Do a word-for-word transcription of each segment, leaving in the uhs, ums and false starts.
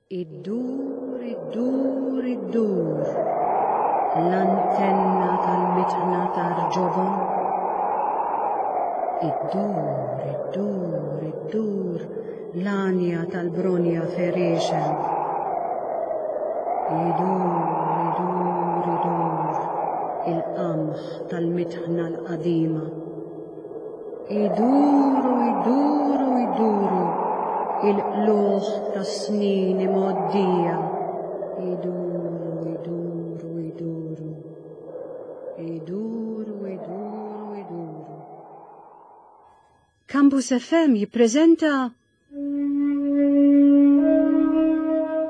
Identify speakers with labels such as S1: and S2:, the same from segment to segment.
S1: Iddur, iddur, iddur, l-antenna tal-mitħna tar-ġobon. Iddur, iddur, iddur, l-għanja tal-bronja ferixen. Idur, idur, idur, il-qamħ tal-mitħna l-qadima. Iduru, iduru, iduru, il-qluħ tas-snin imgħoddija. Iduru, iduru, iduru. Iduru, iduru, iduru. Campus F M jippreżenta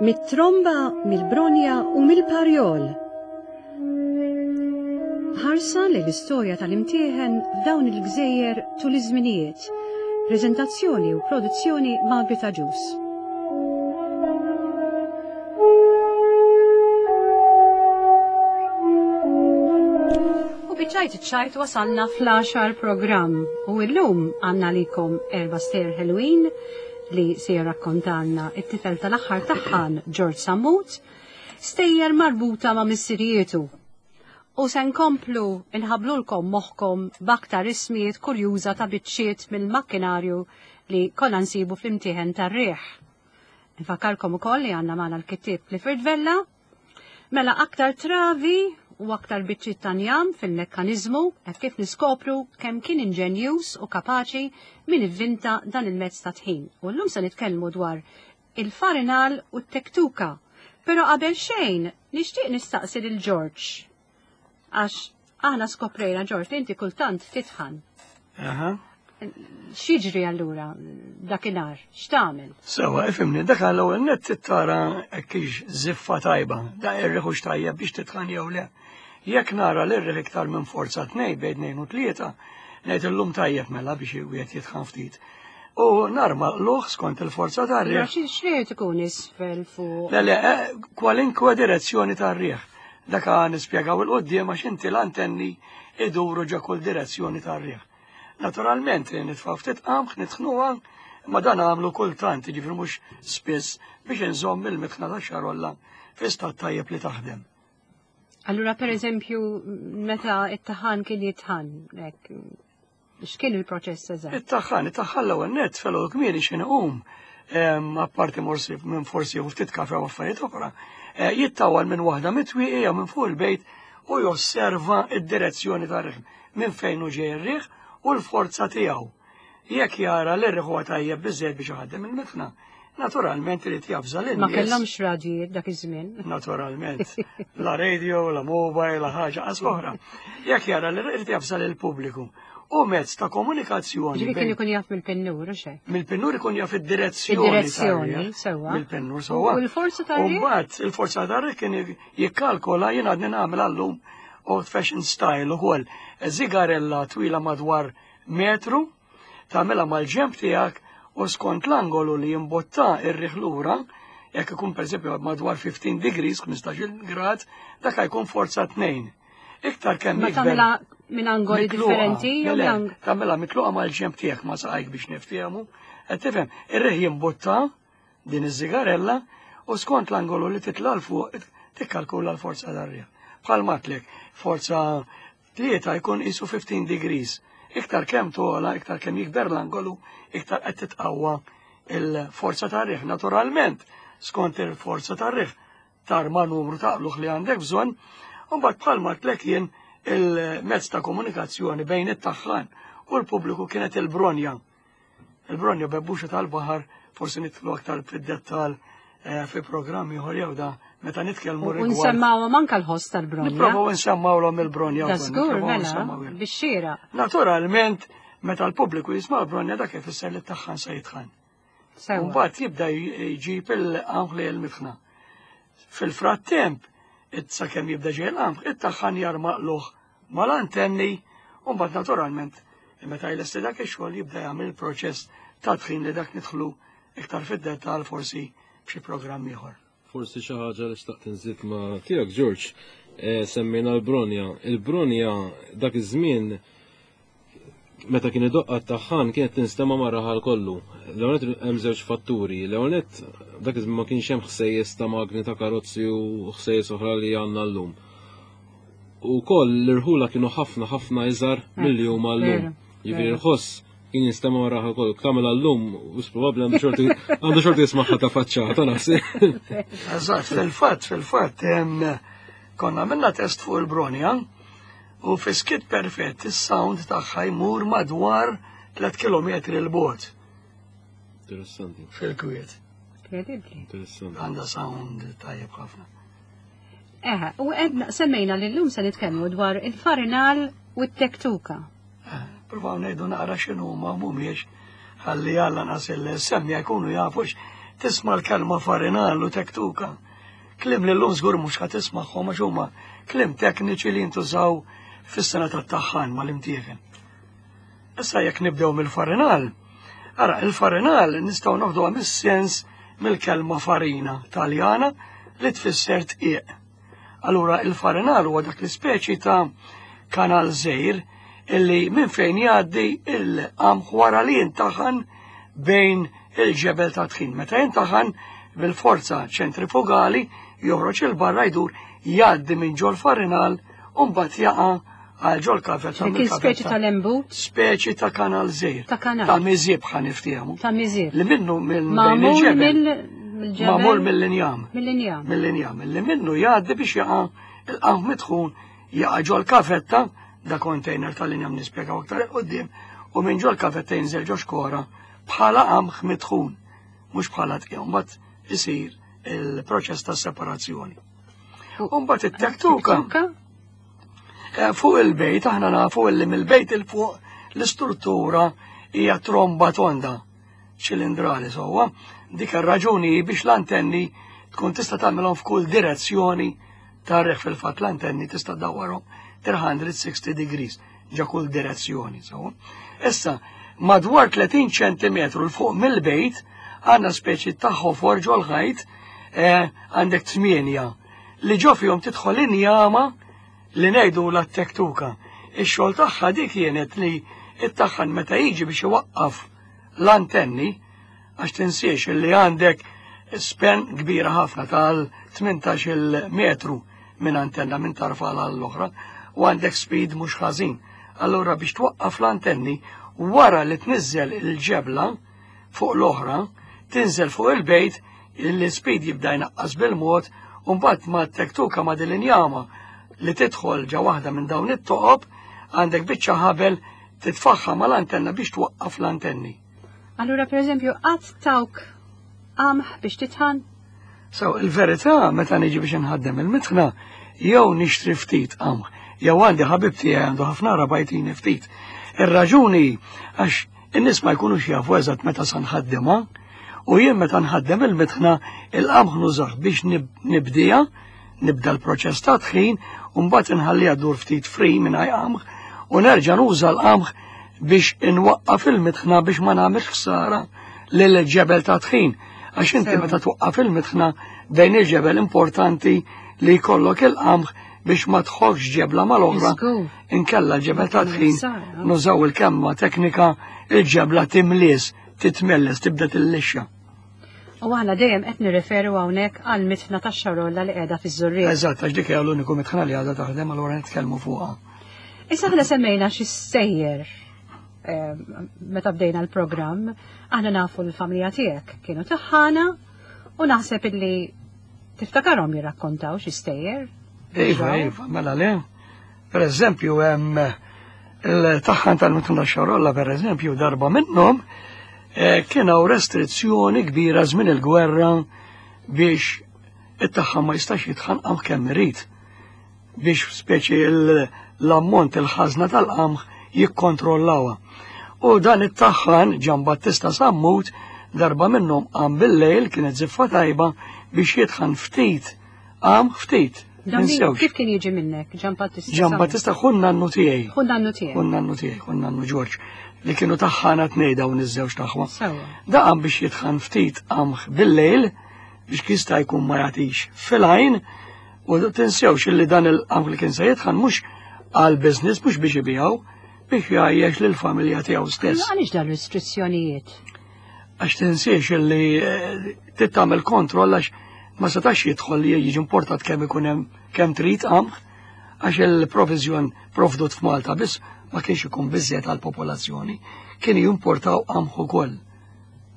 S1: Mit-tromba, mill-bronja u mill-parjol. Ħarsa li l-istorja tal-imtieħen f'dawn il-gżejjer tul iż-żminijiet. Preżentazzjoni u produzzjoni Margaret Agius. U biċċajt iċ-ċajt wasalna fl-għaxar programm u llum għandna likom erba' stejjer ħelwin li se jirrakkontalna it-tifel tal-aħħar taħħan George Sammut, stejjer marbuta ma' missirietu. U se nkomplu nħablulkom moħħkom b'aktar ismijiet kurjuża ta' biċċiet mill-makkinarju li konna nsibu fl-imtieħen tar-riħ. Nfakkarkom ukoll li għandna magħna l-kittieb Clifford Vella, mela aktar travi u aktar biċċiet ta' njam fil-mekkaniżmu hekk kif niskopru kemm kien inġenjuż u kapaċi min ivvinta dan il-mezz ta' tħin. U llum se nitkellmu dwar il-farinal u t-tektuka. Però qabel xejn nixtieq nistaqsi lil George. Għax aħna skoprejna, George, li inti kultant titħan.
S2: Aha.
S1: X'jiġri allura dakinhar? X'tagħmel?
S2: Sewa, ifhimni, dak l-ewwel nett tara kiex żiffa tajba, da irriħ hux tajjeb biex titħan jew le. Jekk nara l-irriħ iktar minn forza tnej bejn tnejn u tlieta, ngħid illum tajjeb mela biex wieħed jitħan ftit. U narma l-luħ skont il-forza tar-riħ.
S1: Xi xejn ikun isfel fuq?
S2: Le, le, eh, kwalinkwe direzzjoni tar-riħ. Dak nispjegaw il-qoddim għax inti l-antenni iduru ġa kull direzzjoni tar-riħ. Naturalment, nitfaw ftit qamħ, nitħnuha, imma dan għamlu kultant, jiġifieri mhux spiss biex inżomm il-mitħna ta' xarolla fi stat tajjeb li taħdem.
S1: Allura, per eżempju, meta it-taħan kien jitħan, hekk, x'kien il-proċess eżatt?
S2: It-taħan, it-taħan l-ewwel nett felgħodu kmieni x'inhu qum, em, apparti morsi minn forsi u ftit kafe u affarijiet oħra, eh, jittawal minn waħda mitwieqi jew minn fuq il-bejt u josserva id-direzzjoni tar-riħ, minn fejn hu ġej ir-riħ u l-forza tiegħu. Jekk jara li r-riħ huwa tajjeb biżżejjed biex iħaddem il-mitħna, naturalment irid jafża lin-nies.
S1: Ma kellhomx radjijiet dak iż-żmien.
S2: Naturalment. La radio, la mobile, la ħaġa qas oħra. Jekk jara li irid jafża lill-pubbliku. U mezz ta' komunikazzjoni.
S1: Ġifieri kien
S2: bejn
S1: ikun jaf mill-pennur, u xejn?
S2: Mill-pennur ikun jaf id-direzzjoni
S1: Id-direzzjoni,
S2: tar-riħ.
S1: sewwa.
S2: Mill-pennur, sewwa.
S1: U l-forza tar-riħ?
S2: U mbagħad il-forza tar-riħ kien jikkalkola, jien għadni nagħmel għallum old fashion style ukoll. Zigarella twila madwar metru, tagħmilha mal-ġemp tiegħek u skont l-angolu li jimbotta ir-riħ lura, jekk ikun pereżempju madwar fifteen degrees, ħmistax-il grad, dak jkun forza tnejn. Iktar kemm
S1: Ma
S2: jikber
S1: tagħmilha minn angoli
S2: mitluqa.
S1: differenti jew
S2: Le, le,
S1: minn ang-
S2: tagħmilha mitluqa mal-ġemp tiegħek ma saqajk biex niftehmu. Qed tifhem, ir-riħ jimbotta din iż-żigarella u skont l-angolu li titla' l fuq tikkalkula l-forza tar-riħ. Bħal matlek, forza tlieta jkun qisu fifteen degrees. Iktar kemm tola, iktar kemm jikber l-angolu, iktar qed titqawwa il-forza tar-riħ. Naturalment, skont il-forza tar-riħ, tarma numru ta' qluħ li għandek bżonn, u mbagħad bħal matlek jien il-mezz ta' komunikazzjoni bejn it-taħħan u l-pubbliku kienet il-bronja. Il-bronja bebbuxa tal-baħar, forsi nidħlu aktar fid-dettal, eh, fi programmi ieħor jew da meta nitkellmu
S1: U
S2: rigward.
S1: nsemmawhom anke l-ħoss tal-bronja.
S2: Nipprovaw nsemmawhom il-bronja
S1: Da
S2: wkoll,
S1: żgur,
S2: nipprovaw
S1: mela,
S2: nsemmawhom.
S1: bix-xira.
S2: Naturalment, meta l-pubbliku jisma' l-bronja dak ifisser li t-taħħan se jitħan.
S1: Sewwa.
S2: Mbagħad jibda jġib il-qamħ li l-mitħna. Fil-frattemp, sakemm jibda ġej il-qamħ, it-taħħan jarmaqluh mal-antenni, u mbagħad naturalment, meta jlesti dak ix-xogħol jibda jagħmel il-proċess ta' tħin li dak nidħlu iktar fid-dettall forsi b'xi programm ieħor.
S3: Forsi xi ħaġa li xtaqt inżid ma' tiegħek, George, eh, semmejna l-bronja. Il-bronja dak iż-żmien meta kien idoqqa t-taħħan kienet tinstema' mar-raħal kollu. L-ewwel nett hemm żewġ fatturi. L-ewwel nett dak iż-żmien ma kienx hemm ħsejjes ta' magni ta' karozzi u ħsejjes oħra li għandna llum. U koll l-irħula kienu ħafna ħafna iżgħar milli huma llum. Jiġifieri l-ħoss kien jinstema' mar-raħal kollu. Tagħmel llum u probabbli għandu xorti għandu xorti jismagħha ta' faċċata naħseb.
S2: Eżatt, fil-fatt, fil-fatt, konna minna test fuq il-Bronja u fi skiet perfett is-sound tagħha jmur madwar tliet kilometri 'l bogħod.
S3: Interessanti.
S2: Fil-kwiet.
S1: Incredibbli.
S3: Interessanti.
S2: Għandha sound tajjeb ħafna.
S1: Eħe, u għedna semmejna li llum se nitkellmu dwar il-farinal u t-tektuka.
S2: Provaw ngħidu naqra x'inhu ma mhumiex ħalli għalla nas il-semmiegħa jkunu jafux tisma' l-kelma farinal u tektuka. Kliem li llum żgur mhux ħa tismagħhom għax huma kliem tekniċi li jintużaw fis-sengħa tat-taħħan mal-imtieħen. Issa jekk nibdew mill-farinal, ara il-farinal nistgħu noħduha mis-sens mill-kelma farina Taljana li tfisser dqiq. Allura il-farinal huwa dak l-ispeċi ta' kanal żgħir illi minn fejn jgħaddi il-qamħ wara li jintaħan bejn il-ġebel ta' tħin. Meta jintaħan bil-forza ċentrifugali joħroġ il-barra jdur jgħaddi minn ġol farinal u mbagħad jaqa' għal ġol kafetta.
S1: Dik speċi tal-embut?
S2: Speċi ta' kanal żgħir.
S1: Ta' kanal.
S2: Ta' miżieb ħa niftehmu.
S1: Ta' miżieb.
S2: Li minnu minn
S1: Magħmul
S2: il-ġebel.
S1: mill-ġebel.
S2: Magħmul mill-injam.
S1: Mill-injam.
S2: Mill-injam. Li minnu jgħaddi biex jaqa' il-qamħ mitħun jaqa' ġol kafetta, da container tal-injam nispjegaw aktar 'il quddiem, u minn ġol kafetta jinżel ġo xkora bħala qamħ mitħun, mhux bħala dqiq, mbagħad isir il-proċess ta' separazzjoni. U mbagħad it-tektuka. Eh, fuq il-bejt, aħna nafu illi mill-bejt 'il fuq l-istruttura hija tromba tonda ċilindrali sewwa. Dik ir-raġuni biex l-antenni tkun tista' tagħmilhom f'kull direzzjoni tar-riħ. Fil-fatt l-antenni tista' dawwarhom tliet mija u sittin degrees ġa kull direzzjoni sewwa. Issa, madwar tletin ċentimetru 'l fuq mill-bejt għandna speċi ta' ħofor ġol-ħajt, eh, għandek tmienja li ġo fihom tidħol injama li ngħidu la tektuka. Ix-xogħol tagħha dik kienet li it-taħħan meta jiġi biex iwaqqaf l-antenni, għax tinsiex li għandek span kbira ħafna tal-tmintax-il metru minn antenna minn tarfa l-oħra u għandek speed mhux ħażin. Allura biex twaqqaf l-antenni wara li tniżżel il-ġebla fuq l-oħra, tinżel fuq il-bejt, il-speed jibda jnaqqas bil-mod, u mbagħad ma tektuka ma dil-injama li tidħol ġa waħda minn dawn it-toqob, għandek biċċa ħabel titfaħħa mal-antenna biex twaqqaf l-antenni.
S1: Allura, per eżempju, qatt tawk qamħ biex titħan?
S2: So, il-verità, meta niġi biex nħaddem il-mitħna, jew nixtri ftit qamħ, jew għandi ħabib tiegħi għandu ħafna raba' jtini ftit. Ir-raġuni għax in-nies ma jkunux jafu eżatt meta sa nħaddimha, u jien meta nħaddem il-mitħna il-qamħ nużah biex nibdija, nibda l-proċess ta' tħin, u mbagħad inħalliha dur ftit free mingħajr qamħ, u nerġa' nuża l-qamħ biex inwaqqaf il-mitħna biex ma nagħmilx ħsara lil ġebel ta' tħin. Għax inti meta twaqqaf il-mitħna bejn il-ġebel importanti li jkollok il-qamħ biex ma tħokkx ġebla mal-oħra. Inkella l-ġebel ta' tħin nużaw il-kelma teknika il-ġebla timlies, titmelles, tibda tillixxa.
S1: U aħna dejjem qed nirreferu hawnhekk għal mitħna tax-Xarolla li qiegħda fiż-Żurrieq.
S2: Eżatt, għax dik hija l-uniku mitħna li għadha taħdem, allura nitkellmu fuqha.
S1: Issa aħna semmejna xi sejjer eh, meta bdejna l-programm, aħna nafu l-familja tiegħek kienu taħħana u naħseb illi tiftakarhom jirrakkontaw xi stejjer.
S2: Iva, iva, mela le. Per eżempju, hemm il-taħħan tal-mitħna Xarolla, per eżempju, darba minnhom eh, kien hawn restrizzjoni kbira żmien il-gwerra biex it-taħħan ma jistax jitħan qamħ kemm irid biex speċi l-ammont il-ħażna tal-qamħ jikkontrollawha. U dan it-taħħan Ġan Battista Sammut darba minnhom qam bil-lejl, kienet ziffa tajba, biex jitħan ftit qamħ ftit.
S1: Kif kien jiġi minnek, Ġan Battista?
S2: Ġan Battista ħun nannu tiegħi.
S1: Ħun nannu tiegħi.
S2: Ħun nannu tiegħi, ħun nannu Ġorġ, li kienu taħħana tnej dawn iż-żewġ taħwa. Da qam biex jitħan ftit qamħ bil-lejl biex jista' jkun ma jagħtix fil-għajn, u tinsewx illi dan il-qamħ li kien se jitħan mhux għal business, mhux biex ibijaw, biex jgħajjex lill-familja tiegħu stess.
S1: Għaliex dan restrizzjonijiet?
S2: Għax tinsiex li trid tagħmel kontroll, għax ma setax jidħol li jiġi importat kemm ikun hemm kemm trid qamħ, għax il-provizjon provdut f'Malta biss ma kienx ikun biżżejjed għall-popolazzjoni, kienu jimportaw qamħ ukoll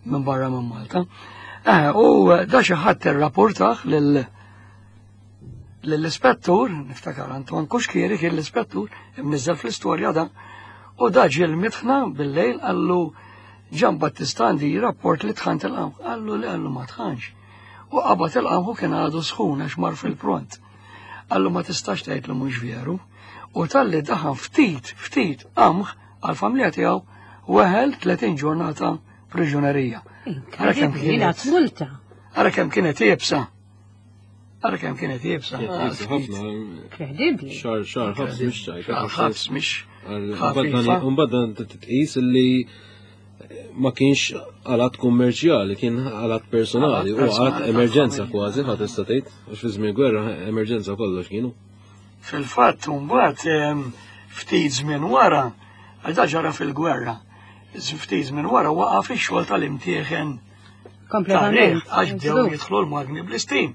S2: minn barra minn Malta. Eh, u da xi ħadd irrapportah lil lill-ispettur, niftakar Anton Kuxkieri kien l-ispettur, imniżżel fl-istorja da, u da ġie l-mitħna bil-lejl, qallu Ġan Battista għandi rapport li tħant il-qamħ. Qallu li, qallu ma tħanx. U qabad il-qamħ u kien għadu sħun għax mar fil-pront. Qallu ma tistax tgħid li mhux veru. U talli daħan ftit, ftit qamħ għal-familja tiegħu, weħel tletin ġurnata priġunerija. Ara kemm
S1: Inkredibbli,
S2: kienet.
S1: Multa.
S2: Ara kemm kienet iebsa. Ara kemm kienet iebsa.
S3: Ħafna.
S1: Inkredibbli.
S3: Xahar, xahar, ħabs mhux ċajt.
S2: Xahar ħabs mhix ħafifa.
S3: Umbagħad titqis li ma kienx għal-att kummerċjali, kien għal-att personali,
S2: Għal-att
S3: u għal-att
S2: personali
S3: emerġenza
S2: tal-familja.
S3: Kważi, ħadd tista' tgħid, għax fi żmien gwerra emerġenza kollox kienu.
S2: Fil-fatt, mbagħad em, ftit żmien wara, għax da ġara fil-gwerra, ftit żmien wara waqaf ix-xogħol tal-imtieħen
S1: Kompletament.
S2: tar-riħ, għax bdew jidħlu l-magni bl-istim.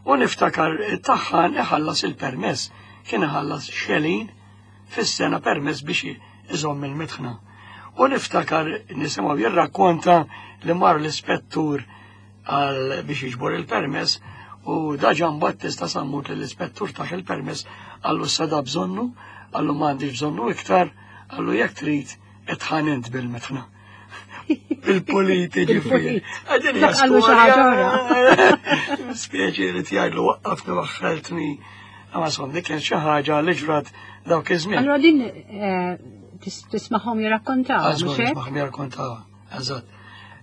S2: U niftakar taħħan iħallas il-permess, kien iħallas xelin fis-sena permess biex iżomm il-mitħna. U niftakar nisimgħu jirrakkonta li mar l-ispettur għal biex jiġbor il-permess u da Ġan Battista Sammut li l-ispettur taħ il-permess, qallu sada bżonnu, qallu m'għandix bżonnu iktar, qallu jekk trid itħan int bil-mitħna. Bil-politi ġifieri. Għadin hija
S1: Qallu xi ħaġa
S2: storja. Spieċi li tgħidlu waqqafni waħħaltni. Ma son, dik kien xi ħaġa li ġrat dawk iż-żmien.
S1: Allora din eh, tis- tismagħhom jirrakkontaw,
S2: Għażgur
S1: mhux hekk?
S2: nismaħ jirrakkontaw, eżatt.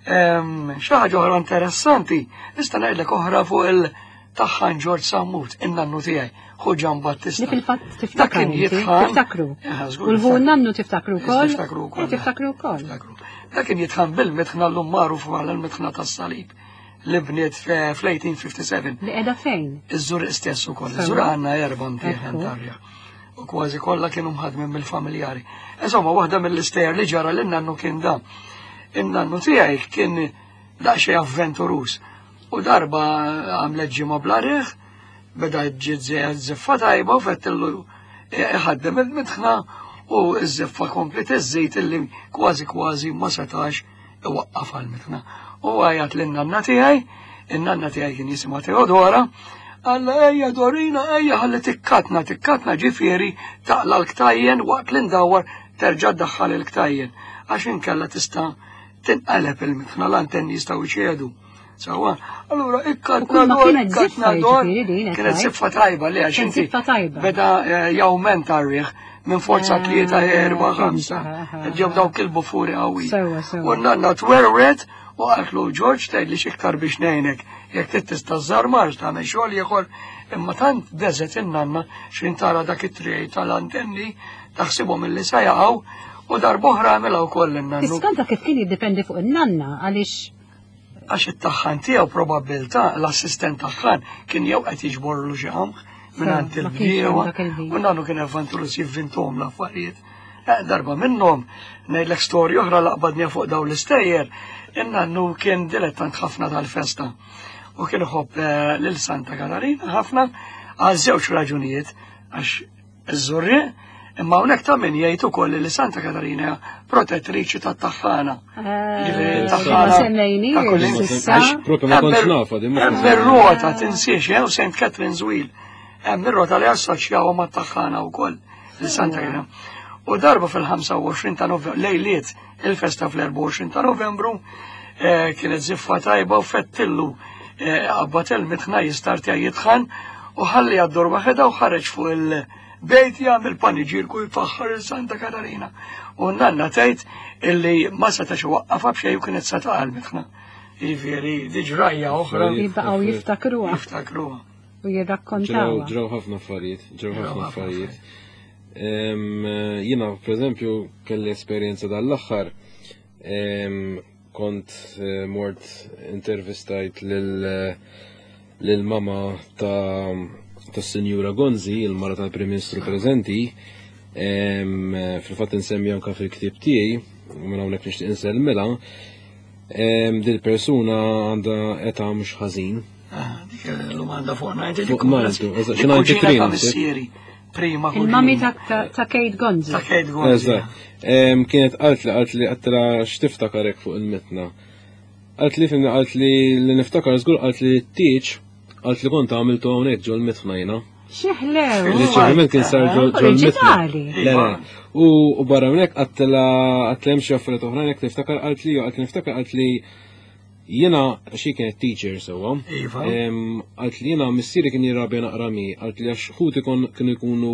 S2: Ehm, Xi ħaġa oħra interessanti, nista' ngħidlek oħra fuq il-taħħan George Sammut, in-nannu tiegħi, ħu Ġan Battista.
S1: Li fil-fatt
S2: Dak
S1: tiftakar
S2: kien
S1: inti,
S2: jitħan.
S1: tiftakru.
S2: Eh, żgur
S1: U l-ħu
S2: niftakru.
S1: nannu tiftakru wkoll?
S2: Niftakru wkoll.
S1: Eh, Tiftakru wkoll.
S2: Niftakru. Dak kien jitħan bil-mitħna l-lum magħruf bħala l-mitħna tas-salib li bniet fl-elf disa' mija u sitta u ħamsin.
S1: Li qiegħda fejn?
S2: Iż-Żurrieq stess ukoll.
S1: Sewa.
S2: Iż-Żurrieq għandna erba' mtieħen
S1: Ekku.
S2: tarja. U kważi kollha kienu mħadmin mill-familjari. Insomma, waħda mill-istejjer li ġara lin nannu kien da. In-nannu tiegħi kien daqsxejn avventurus. U darba għamlet ġimgħa bla riħ, beda ġiet żiffa tajba u fettillu iħaddem il-mitħna u ż-żiffa komplet iżżid illi kważi kważi ma setax iwaqqaf għal-mitħna. U għajat lin-nanna tiegħi, in-nanna tiegħi kien jisimha Teodora, qalla ejja Dorina, ejja ħalli tikkatna, tikkatna ġifieri taqla l-ktajjen waqt li ndawwar terġa' ddaħħal il-ktajjen, għax inkella tista' tinqaleb il-mitħna, l-antenni jistgħu jċedu. Sawa, allura
S1: U
S2: ikkatna
S1: kull ma
S2: dor,
S1: kienet
S2: ikkatna
S1: ziffa
S2: dor.
S1: jiġifieri din, qed
S2: Kienet
S1: tgħid?
S2: ziffa tajba li għax
S1: Kienet
S2: inti
S1: ziffa tajba.
S2: beda eh, jawmenta r-riħ minn forza
S1: Ah,
S2: tlieta, erba', ħamsa.
S1: ah,
S2: Ġew dawk il-bufuri qawwi.
S1: Sewa, sewa.
S2: U n-nanna twerwret u qaltlu George tgħid li xiktar biex ngħinek jekk trid tista' żarmar tagħmel xogħol ieħor, imma tant beżet in-nanna x'in tara dak it-triq tal-antenni taħsibhom illi se jaqgħu, u darb'oħra għamilha wkoll in-nannu.
S1: Tiskanta kif kien jiddependi fuq in-nanna għaliex
S2: Għax it-taħħan tiegħu probabbiltà l-assistent taħħan kien jew qed jiġborlu xi qamħ minn għand
S1: Ma kienx hemm
S2: il-bdiewa
S1: dak il-ħin.
S2: u nannu kien avventurus jivvintuhom l-affarijiet. Eh, Darba minnhom ngħidlek storja oħra laqbadni fuq dawn l-istejjer, in-nannu kien dilettant ħafna tal-festa u kien iħobb eh, lil Santa Katarina ħafna għal żewġ raġunijiet, għax iż-Żurrieq, imma hawnhekk ta' min jgħid ukoll li Santa Katarina hija protettriċi tat-taħħana. Ġifieri
S1: Eh,
S2: taħħana
S1: ma semmejniex
S2: ta' kull
S1: s'issa.
S2: Għax
S3: Proprio ma kontx nafa, din ma
S2: Hemm
S3: kontx
S2: ir-rota tinsiex, jew Saint Catherine's Wheel. Hemm ir-rota li assoċjaw ma' taħħana wkoll li Santa Katarina. U darba fil-ħamsa u għoxrin ta' Novembru, lejliet il-festa fl-erbgħa u għoxrin ta' Novembru, eh, kienet ziffa tajba u fettillu eh, qabbat il-mitħna jistartja jitħan u ħalli għaddur waħedha u ħareġ fuq il-bejt jagħmel paniġirku jfaħħar il-Santa Katarina. U nanna tgħid illi ma setax waqqafha b'xejn u kienet sa taqa' l-mitħna. Jiġifieri di ġrajja oħra
S1: Jibqgħu jiftakruha
S2: jiftakruha.
S1: u
S3: Ġraw
S1: jirrakkontawha.
S3: ġraw ħafna affarijiet, ġraw
S2: Ġraw
S3: ħafna
S2: ħafna
S3: affarijiet. Em, Jiena, per eżempju, kelli esperjenza dal-aħħar. Em, Kont eh, mort intervistajt lil lil mama ta' tas Sinjura Gonzi, il-mara tal-Prim Ministru preżenti, Em, Fil-fatt insemmi anka fil-ktieb tiegħi, u minn hawnhekk nixtieq insellmilha, em, dil-persuna għandha età mhux ħażin.
S2: Ah, dik l-lum għandha fuq ninety.
S3: Fuq ninety, eżatt, xi
S2: Dik
S3: ninety-three
S2: kuġina ta'
S3: naħseb.
S2: missieri, prima
S1: Il-mami
S2: kuġina.
S1: ta' ta' ta' Kate Gonzi.
S2: Ta' Kate Gonzi.
S3: Eżatt. Em, Kienet qalt li qalt li għedtilha x'tiftakar hekk fuq il-mitna. Qalt li fimni qalt li li niftakar żgur qalt li t-tieġ qalt li kont għamiltu hawnhekk ġol mitħna jiena.
S1: X'ħlew.
S3: Li ċertament kien sar ġol ġol mitħna.
S1: Oriġinali.
S3: Le, le. U u barra minn hekk għedtilha għedtilha hemm xi affarijiet oħrajn hekk niftakar qalt li qalt li niftakar qalt li jiena xi kienet teacher sewwa.
S2: Iva.
S3: Em, Qalt li jiena missieri kien jirrabja naqra mi, qalt li għax ħuti kon kienu jkunu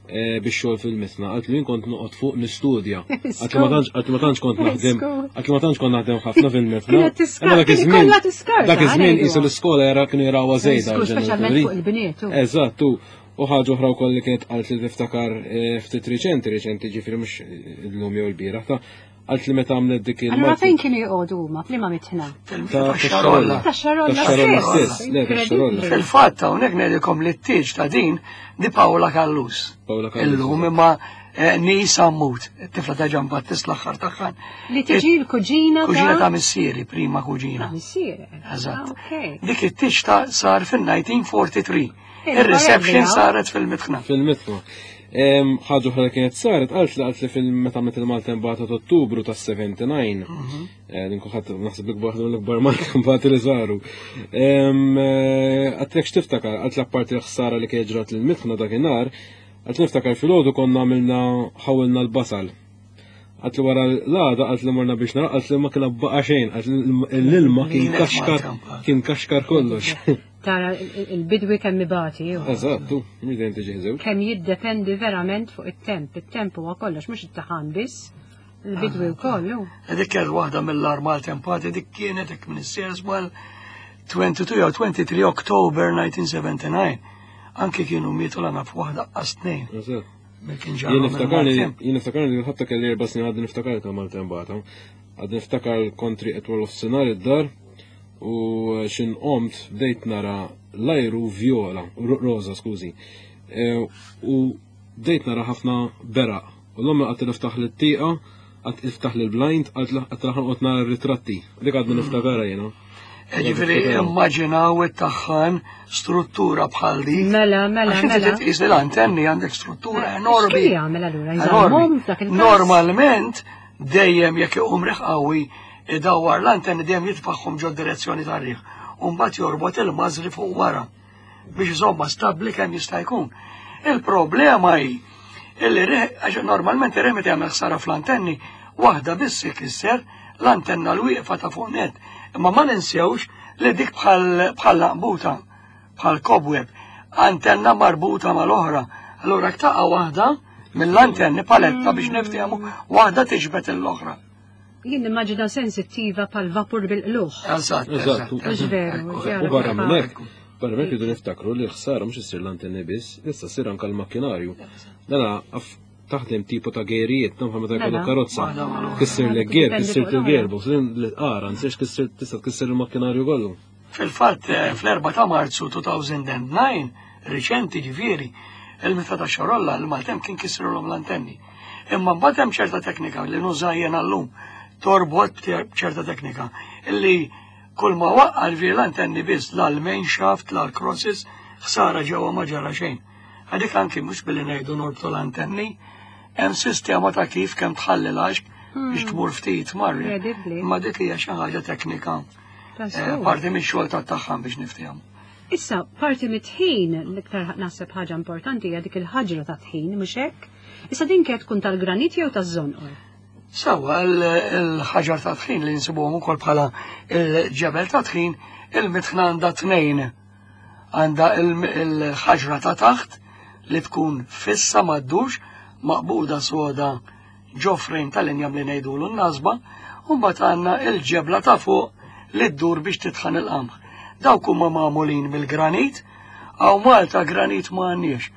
S3: eh, bix-xogħol fil-mitna, qalt li jien kont noqgħod fuq nistudja. Qalt li ma tantx qalt li ma tantx kont naħdem, qalt li ma tantx kont naħdem ħafna fil-mitna.
S1: Kienet tiskarta,
S3: Imma dak
S1: kien
S3: iż-żmien-
S1: ikollha tiskarta,
S3: Dak iż-żmien
S1: ngħidu.
S3: qisu l-iskola jara kienu jarawha żejda.
S1: Żgur, speċjalment
S3: l-ġenituri.
S1: fuq il-bniet. u.
S3: Eżatt, u u ħaġa oħra wkoll li kienet qalt li tiftakar eh, ftit riċenti, riċenti ġifieri mhux illum jew l-bieraħ ta' qalt li meta għamlet dik il
S1: Allura fejn kienu joqogħdu huma f'liema mitħna?
S2: Fil-mitħna ta' Xarolla.
S1: Ta' Xarolla
S3: Ta' Xarolla
S1: stess.
S3: stess, le, ta' Xarolla.
S2: Fil-fatt hawnhekk ngħidilkom li t-tieġ ta' din di Paola Callus.
S3: Paola Callus.
S2: Illum imma eh, Nisa Mut, it-tifla ta' Ġan Battist l-aħħar tagħha.
S1: Li tiġi l-kuġina ta'
S2: Kuġina ta' missieri, prima kuġina.
S1: Ta' missieri.
S2: Eżatt.
S1: Ah, ok.
S2: Dik it-tieġ ta' sar fil-elf disa' mija u erbgħa u erbgħin.
S1: Eh,
S2: Il-reception
S1: barra
S2: saret fil-mitħna.
S3: Fil-mitħna. Em, ħaġa oħra li kienet saret, qalt li qalt li fil-meta għamlet il-maltempata ta' Ottubru ta' sebgħa u sebgħin, eh, din kulħadd naħseb l-ikbar l-ikbar maltempati li saru. Em, eh, Għedtlek x'tiftakar, qalt li apparti l-ħsara li kienet ġrat l-mitħna dakinhar, qalt li niftakar filgħodu konna għamilna ħawilna l-basal. Qalt li wara l-għada, qalt li morna biex nara, qalt li ma kien baqa xejn, qalt li l-ilma kien
S2: Kienet
S3: kaxkar,
S2: maltempata.
S3: kien kaxkar kollox.
S1: Tara il-bidwi kemm ibati. ju.
S3: Eżatt, tu, mhux dejjem tiġi żewġ.
S1: Kemm jiddependi verament fuq it-temp. It-temp huwa kollox, mhux it-taħan biss. Il-bidwi wkoll. hu.
S2: Dik kienet waħda mill-agħar maltempati, dik kienet dik minn is mal tnejn u għoxrin jew tnejn u għoxrin October elf disa' mija sebgħa u sebgħin. Anki kienu mietu l f'waħda qas tnejn.
S3: Eżatt.
S2: Mill kien ġara
S3: Jien niftakarni,
S2: mill-maltemp.
S3: jien niftakarni li ħatta kelli erba' snin għadni niftakar ta' maltempata. Għadni niftakar kontri qed wara nofsinhar id-dar u xin qomt bdejt nara l-ajru viola, ro- roza, skużi. E, U bdejt nara ħafna beraq. U l-ommi qalt niftaħ l-tieqa, qalt iftaħ l-blind, qalt ħa noqgħod nara r-ritratti. Dik għadni niftakarha jiena.
S2: E Ġifieri immaġinaw it-taħħan struttura bħal dik.
S1: Mela, mela,
S2: Għax inti
S1: mela.
S2: titqis li l-antenni għandek struttura enormi.
S1: X'kien jagħmel allura? Jżommhom f'dak il-każ?
S2: Normalment dejjem jekk iqum riħ qawwi idawwar l-antenni dejjem jitfaħħom ġo direzzjoni tar-riħ. U mbagħad jorbot il-mażri fuq wara biex iżomma stabbli kemm jista' jkun. Il-problema hi illi riħ għax normalment ir-riħ meta jagħmel ħsara fl-antenni waħda biss ikisser l-antenna l-wieqfa ta' fuq net. Imma ma ninsewx li dik bħal bħal laqbuta, bħal cobweb, antenna marbuta mal-oħra. Allura taqa' waħda mill-antenni paletta biex niftehmu waħda tiġbed l-oħra.
S1: Jien nimmaġina sensittiva pal vapur bil-qluħ.
S2: Eżatt,
S3: Eżatt.
S1: Mhux veru,
S3: U barra minn hekk, barra minn hekk rridu niftakru li l-ħsara mhux issir l-antenni biss, issa ssir anke l-makkinarju. Dana af taħdem tipo ta' gerijiet, nafha meta jkollok
S1: Mela.
S3: karozza.
S2: Waħda mal-oħra.
S3: Kissir le gear,
S1: Dipende
S3: kissir
S1: fuq l-oħra.
S3: il-gearbox, li qara, nsirx kissir tista' tkisser il-makkinarju kollu.
S2: Fil-fatt, eh, fl-erba ta' Marzu elfejn u disa', riċenti ġifieri, il-mitħna ta' Xarolla, il-maltemp kien kisrulhom l-antenni. Imma mbagħad hemm ċerta teknika li nuża jiena llum, torbot ċerta teknika, illi kull ma waqqa l l-antenni biss l-main shaft, l-crosses, ħsara ġewwa ma ġara xejn. Għadik anki mhux billi ngħidu norbtu l-antenni, hemm sistema ta' kif kemm tħalli l-għaxq biex tmur ftit marri.
S1: Incredibbli.
S2: Imma dik hija xi ħaġa teknika.
S1: Ta'
S2: Eh,
S1: żgur.
S2: Parti minn xogħol ta' tagħhom biex niftehmu.
S1: Issa, parti mit-tħin, l-iktar naħseb ħaġa importanti hija dik il-ħaġra ta' tħin, mhux hekk? Issa din kienet tkun tal-granit jew taż-żonqor?
S2: Sawa, il-ħaġar ta' tħin li nsibuhom ukoll bħala il-ġebel ta' tħin, il-mitħna għandha tnejn. Għandha il-ħaġra ta' taħt li tkun fissa maddux, maqbuda soda ġo frame tal-injam li ngħidulu n-nasba, u mbagħad għandna il-ġebla ta' fuq li ddur biex titħan il-qamħ. Dawk huma magħmulin mill-granit, għaw Malta granit ma għandniex.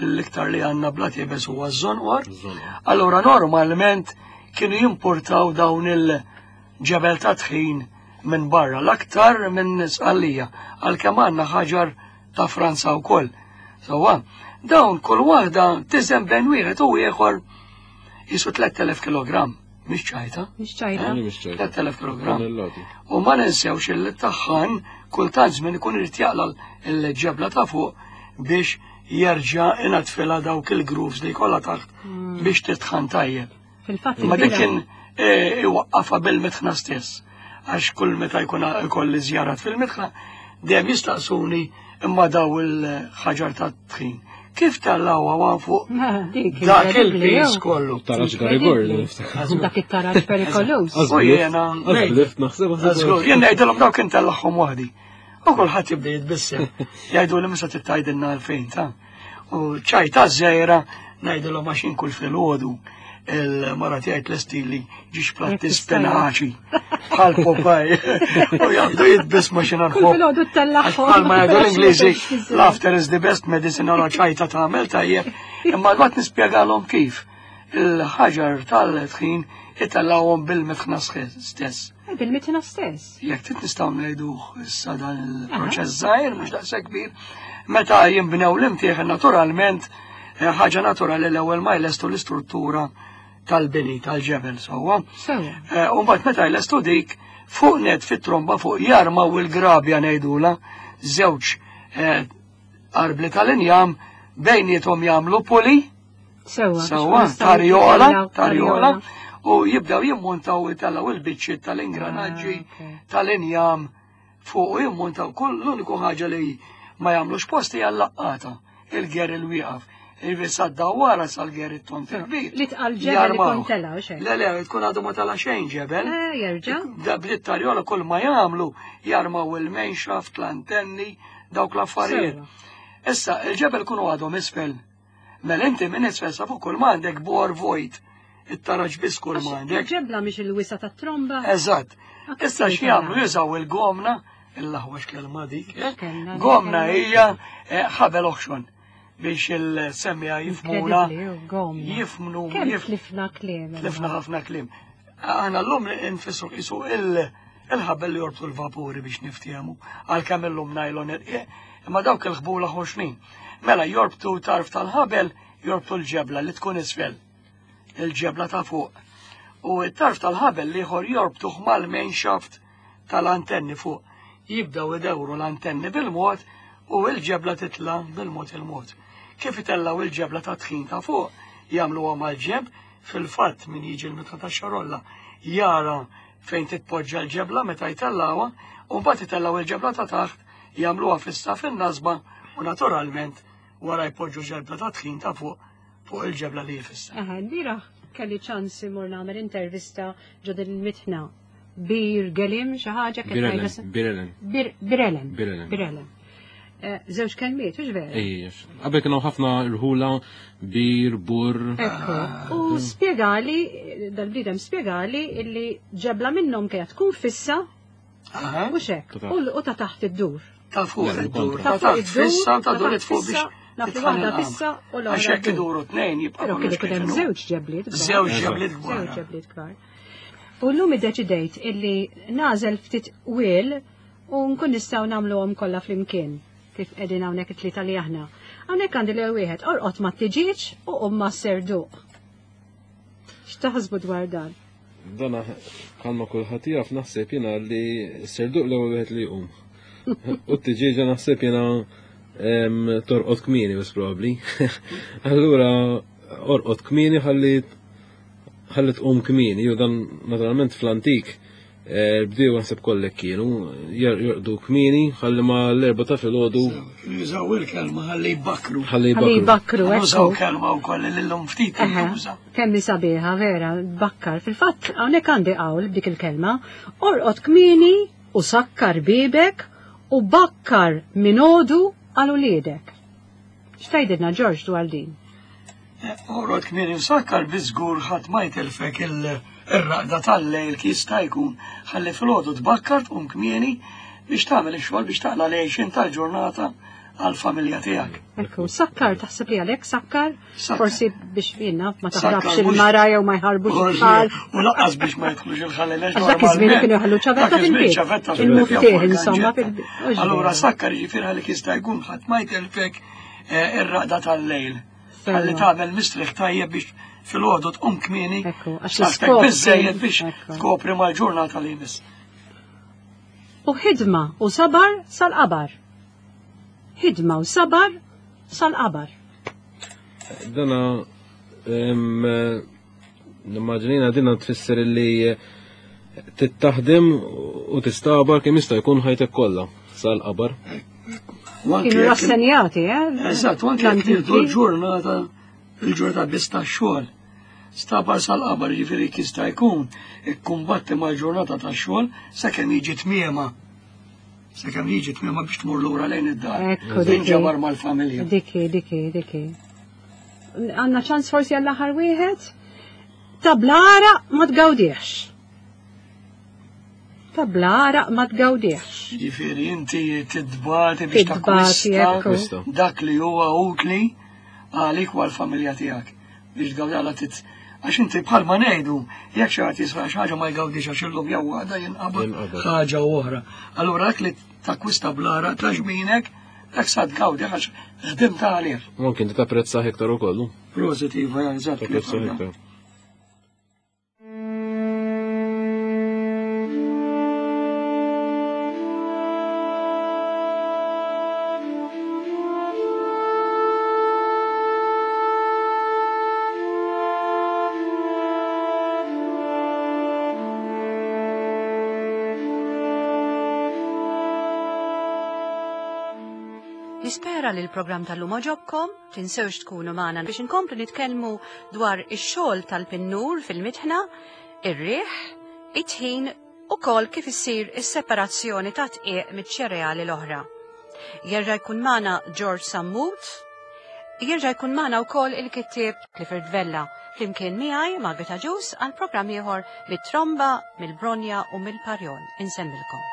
S2: L-iktar li għandna bla tibes huwa ż-żonqor. Allora normalment kienu jimportaw dawn il-ġebel ta' tħin minn barra, l-aktar minn Sqallija, għalkemm għandna ħaġar ta' Franza wkoll. Sewwa, dawn kull waħda tiżen bejn wieħed u ieħor jisu tliet elef kilogramm. Mhix ċajta.
S1: Mhix ċajta.
S3: Mhix ċajta.
S2: tliet elef kilogramm.
S3: Tonnellati.
S2: U ma ninsewx il-taħħan kultant żmien ikun irid jaqla l-ġebla ta' fuq biex jerġa' inatfilha dawk il-grooves li jkollha taħt biex titħan tajjeb.
S1: Fil-fatt
S2: Ma dik
S1: il-bira-
S2: kien eh, iwaqqafha bil-mitħna stess. Għax kull meta jkun ikolli żjarat fil-mitħna, dejjem jistaqsuni imma daw il-ħaġar ta' tħin. Kif tellgħuha fuq
S1: Dik
S2: dak
S1: incredibbli,
S2: il-pis
S1: jew?
S2: kollu?
S3: Taraġ Garigor li niftakar.
S1: Dak it-taraġ perikoluż.
S2: U jiena
S3: Għazblift naħseb.
S2: Żgur, jien ngħidilhom dawk intellagħhom waħdi. U kulħadd jibda jitbissem. Jgħidu li misa tgħidilna għalfejn ta' U ċajta żgħira ngħidilhom għax kull filgħodu il-mara tiegħi tlestili ġiex platti spinaċi bħal Popeye. U jgħaddu jitbissmu xi
S1: Kull
S2: nħobb.
S1: filgħodu ttellagħhom.
S2: Bħal ma jgħidu l-Ingliżi, "Laughter is the best medicine", għala ċajta tagħmel tajjeb. Imma għad nispjegalhom kif il-ħaġar tal-tħin itellgħuhom bil-mitħna stess.
S1: Eh, Bil-mitħna stess.
S2: Jekk trid nistgħu ngħidu issa dan il-proċess żgħir, mhux daqshekk kbir, meta jinbnew l-imtieħen naturalment eh, ħaġa naturali l-ewwel ma jlestu l-istruttura tal-bini tal-ġebel sewwa.
S1: Sewwa.
S2: Eh, U mbagħad meta jlestu dik, fuq net fit-tromba fuq jarmaw il-grabja ngħidula żewġ eh, arbli tal-injam, bejniethom jagħmlu pulley.
S1: Sewwa. biex
S2: Sewwa,
S1: nistgħu
S2: tarjola,
S1: nitellgħu-
S2: tarjola, u jibdew jimmontaw itellgħu il-biċċiet tal-ingranaġġi
S1: Ah, ok.
S2: tal-injam fuq u jimmontaw kull l-uniku ħaġa li ma jagħmlux posti hija l-laqqata, il-ger il-wieqaf. Jiġifieri sad-dawwara sal-ger it-tont il-kbir.
S1: Li tqal ġebel
S2: Jarmaw.
S1: ikun tela' u xejn.
S2: Le, le, tkun għadu ma tela xejn ġebel.
S1: Eh, jerġa'.
S2: Da bdiet tarjola kull ma jagħmlu jarmaw il-main shaft, l-antenni, dawk l-affarijiet.
S1: Sewwa.
S2: Issa, il-ġebel kunu għadhom isfel. Mela inti minn isfel sa fuq kull ma għandek bor vojt. It-taraġ biss kull ma għandek.
S1: Il-ġebla mhix il-wisa tat-tromba.
S2: Eżatt.
S1: Ah,
S2: Issa
S1: kif
S2: x'jagħmlu
S1: tara?
S2: jużaw il-gomna, il-laħwa x'kelma dik. eh?
S1: X'kelma,
S2: Gomna
S1: kelma.
S2: hija eh, ħabel oħxon biex il-semmiegħa jifhmuna.
S1: Incredibbli, u gomna.
S2: Jifhmu,
S1: Kemm
S2: jif-
S1: tlifna kliem.
S2: tlifna ħafna kliem. Aħna llum nfissru qisu il- il-ħabel li jorbtu l-vapuri biex niftiehmu, għalkemm illum nylon irqiq, imma dawk il-ħbula ħoxnin. Mela jorbtu tarf tal-ħabel, jorbtu l-ġebla li tkun isfel, il-ġebla ta' fuq. U t-tarf tal-ħabel l-ieħor jorbtuh mal-main shaft tal-antenni fuq. Jibdaw idewru l-antenni bil-mod u il-ġebla titla bil-mod il-mod. Kif itellaw il-ġebla ta' tħin ta' fuq, jagħmluha mal-ġenb, fil-fatt min jiġi l-mitħna ta' xarolla jara fejn titpoġġa l-ġebla meta jtellawha, u mbagħad itellaw il-ġebla ta' taħt, jagħmluha fissa fin-nasba u naturalment wara jpoġġu ġebla ta' tħin ta' fuq fuq il-ġebla li jfissa.
S1: Aha, l-bieraħ kelli ċans imur nagħmel intervista ġo din il-mitħna. Bir Gelim xi ħaġa kif
S3: Birelen,
S1: ngħidha-
S3: Birelen.
S1: Bir- Birelen.
S3: Birelen.
S1: Birelen. Eh, Żewġ kelmiet, hux vera?
S3: Ej, qabel kienu ħafna rħula, bir, bur.
S1: Ekku, u spjegali, dal-bniedem spjegali illi ġebla minnhom kienet tkun fissa
S2: Aha.
S1: u xek,
S3: Ta' taħt.
S1: u u ta' taħt id-dur.
S2: Ta' fuq
S3: Le,
S2: id-dur,
S3: kontra.
S2: ta'
S1: Ta' fuq
S2: taħt
S1: id-dur,
S2: fissa, ta'
S1: ta'
S2: dur
S1: taħt
S2: fuq biex
S1: fissa, naf li
S2: titħan
S1: waħda
S2: il-qamar.
S1: fissa u l-oħra
S2: Għax hekk
S1: dur.
S2: iduru tnejn jibqa'
S1: Però kien
S2: kollox
S1: ikun
S2: kif
S1: hemm
S2: inhu.
S1: żewġ ġebliet kbar.
S2: Żewġ
S3: Eżatt.
S2: ġebliet
S1: Żewġ
S2: kbar.
S1: ġebliet kbar. U llum iddeċidejt illi nagħżel ftit wil u nkun nistgħu nagħmluhom kollha flimkien kif qegħdin hawnhekk it-tlieta li aħna. Hawnhekk għandi l wieħed orqod ma tiġiġ u qum ma serduq. X'taħsbu dwar dan?
S3: Dana bħalma kulħadd jaf naħseb jiena li serduq l-ewwel wieħed li jqum. U t-tiġieġa naħseb jiena em, torqod kmieni bas probabbli. Allura orqod kmieni ħalli ħalli tqum kmieni, jew dan naturalment fl-antik eh, bdew naħseb kollek kienu jor- jorqdu kmieni ħalli ma l-erba ta' filgħodu
S2: Jużaw il-kelma ħalli jbakru.
S3: ħalli
S1: Ħalli
S3: jbakru.
S1: jbakru,
S2: Nużaw
S1: ekku.
S2: kelma wkoll li llum ftit
S1: Eħe,
S2: tintuża.
S1: kemm sabiħa, vera, bakkar. Fil-fatt, hawnhekk għandi qawl b'dik il-kelma, orqod kmieni u sakkar bibek u bakkar minodu għal uliedek. X'tgħidilna Ġorġ dwar din?
S2: Orqod kmieni msakkar biżgur ħadd ma jtelfek il- ir-raqda tal-lejl kif jista' jkun. Ħalli filgħodu tbakkar tqum kmieni biex tagħmel ix-xogħol biex taqla l-għixin tal-ġurnata għall-familja tiegħek.
S1: Ekku, sakkar, taħseb li għalek sakkar?
S2: Sakkar.
S1: Forsi biex jiena ma
S2: Sakkar
S1: taħrabx
S2: mhux-
S1: il-mara jew ma jħarbux it-tfal.
S2: U lanqas biex ma jidħlux il-ħallex.
S1: Għax dak iż-żmien kienu jħallu ċavetta fil-bib. Il-muftieħ, insomma, fil-bib.
S2: Allura sakkar jiġifieri għalik jista' jkun ħadd ma jtelfek eh, ir-raqda tal-lejl. Ħalli tagħmel mistrieħ tajjeb biex filgħodu tqum kmieni.
S1: Ekku, għax
S2: Saħtek
S1: l-iskop
S2: biżejjed
S1: kien-
S2: biex
S1: ekku.
S2: tkopri mal-ġurnata li jmiss.
S1: U ħidma u sabar sal-qabar. Ħidma u sabar sal-qabar.
S3: Dana, em, eh, nimmaġinina dina tfisser li eh, tittaħdem u tistabar kemm jista' jkun ħajtek kollha sal-qabar.
S2: U anke
S1: Kienu
S2: jekk-
S1: rassenjati, eh?
S2: Eżatt, u anke jekk
S1: L-antiki.
S2: nieħdu l-ġurnata, il-ġurnata biss tax-xogħol. Stabar sal-qabar ġifieri jista' jkun ikkumbatti mal-ġurnata tax-xogħol sakemm jiġi tmiema. Sakemm jiġi tmiema biex tmur lura lejn id-dar.
S1: Ekku, diki.
S2: Tinġabar mal-familja.
S1: Diki, diki, diki. Għanna ċans forsi għall-aħħar wieħed? Tablara ma tgawdiex. Tablara ma tgawdiex.
S2: Ġifieri inti tidbati biex
S1: Tidbati,
S2: takkwista
S1: ekku.
S2: dak li huwa utli għalik u għall-familja tiegħek biex tgawdi għala tit għax inti bħalma ngħidu jekk xi ħadd jisra xi ħaġa ma jgawdix għax illum jew għada jinqabad
S3: Jinqabad.
S2: ħaġa oħra. Allura dak li takkwista blara ta' ġminek dak sa tgawdi għax ħdimt għalih.
S3: Mumkin ti tapprezzah iktar ukoll.
S2: Positiva, eżatt.
S3: Tapprezzah iktar.
S1: Nispera li l-programm tal-lum għoġobkom, tinsewx tkunu magħna biex inkomplu nitkellmu dwar ix-xogħol tal-pinnur fil-mitħna, ir-riħ, it-tħin u kol kif issir is-separazzjoni ta' tqiq miċ-ċereali l-oħra. Jerġa' jkun magħna George Sammut, jerġa' jkun magħna wkoll il-kittieb Clifford Vella, flimkien miegħi Margaret Agius għal programm ieħor mit-tromba, mill-bronja u mill-parjol. Insemmilkom.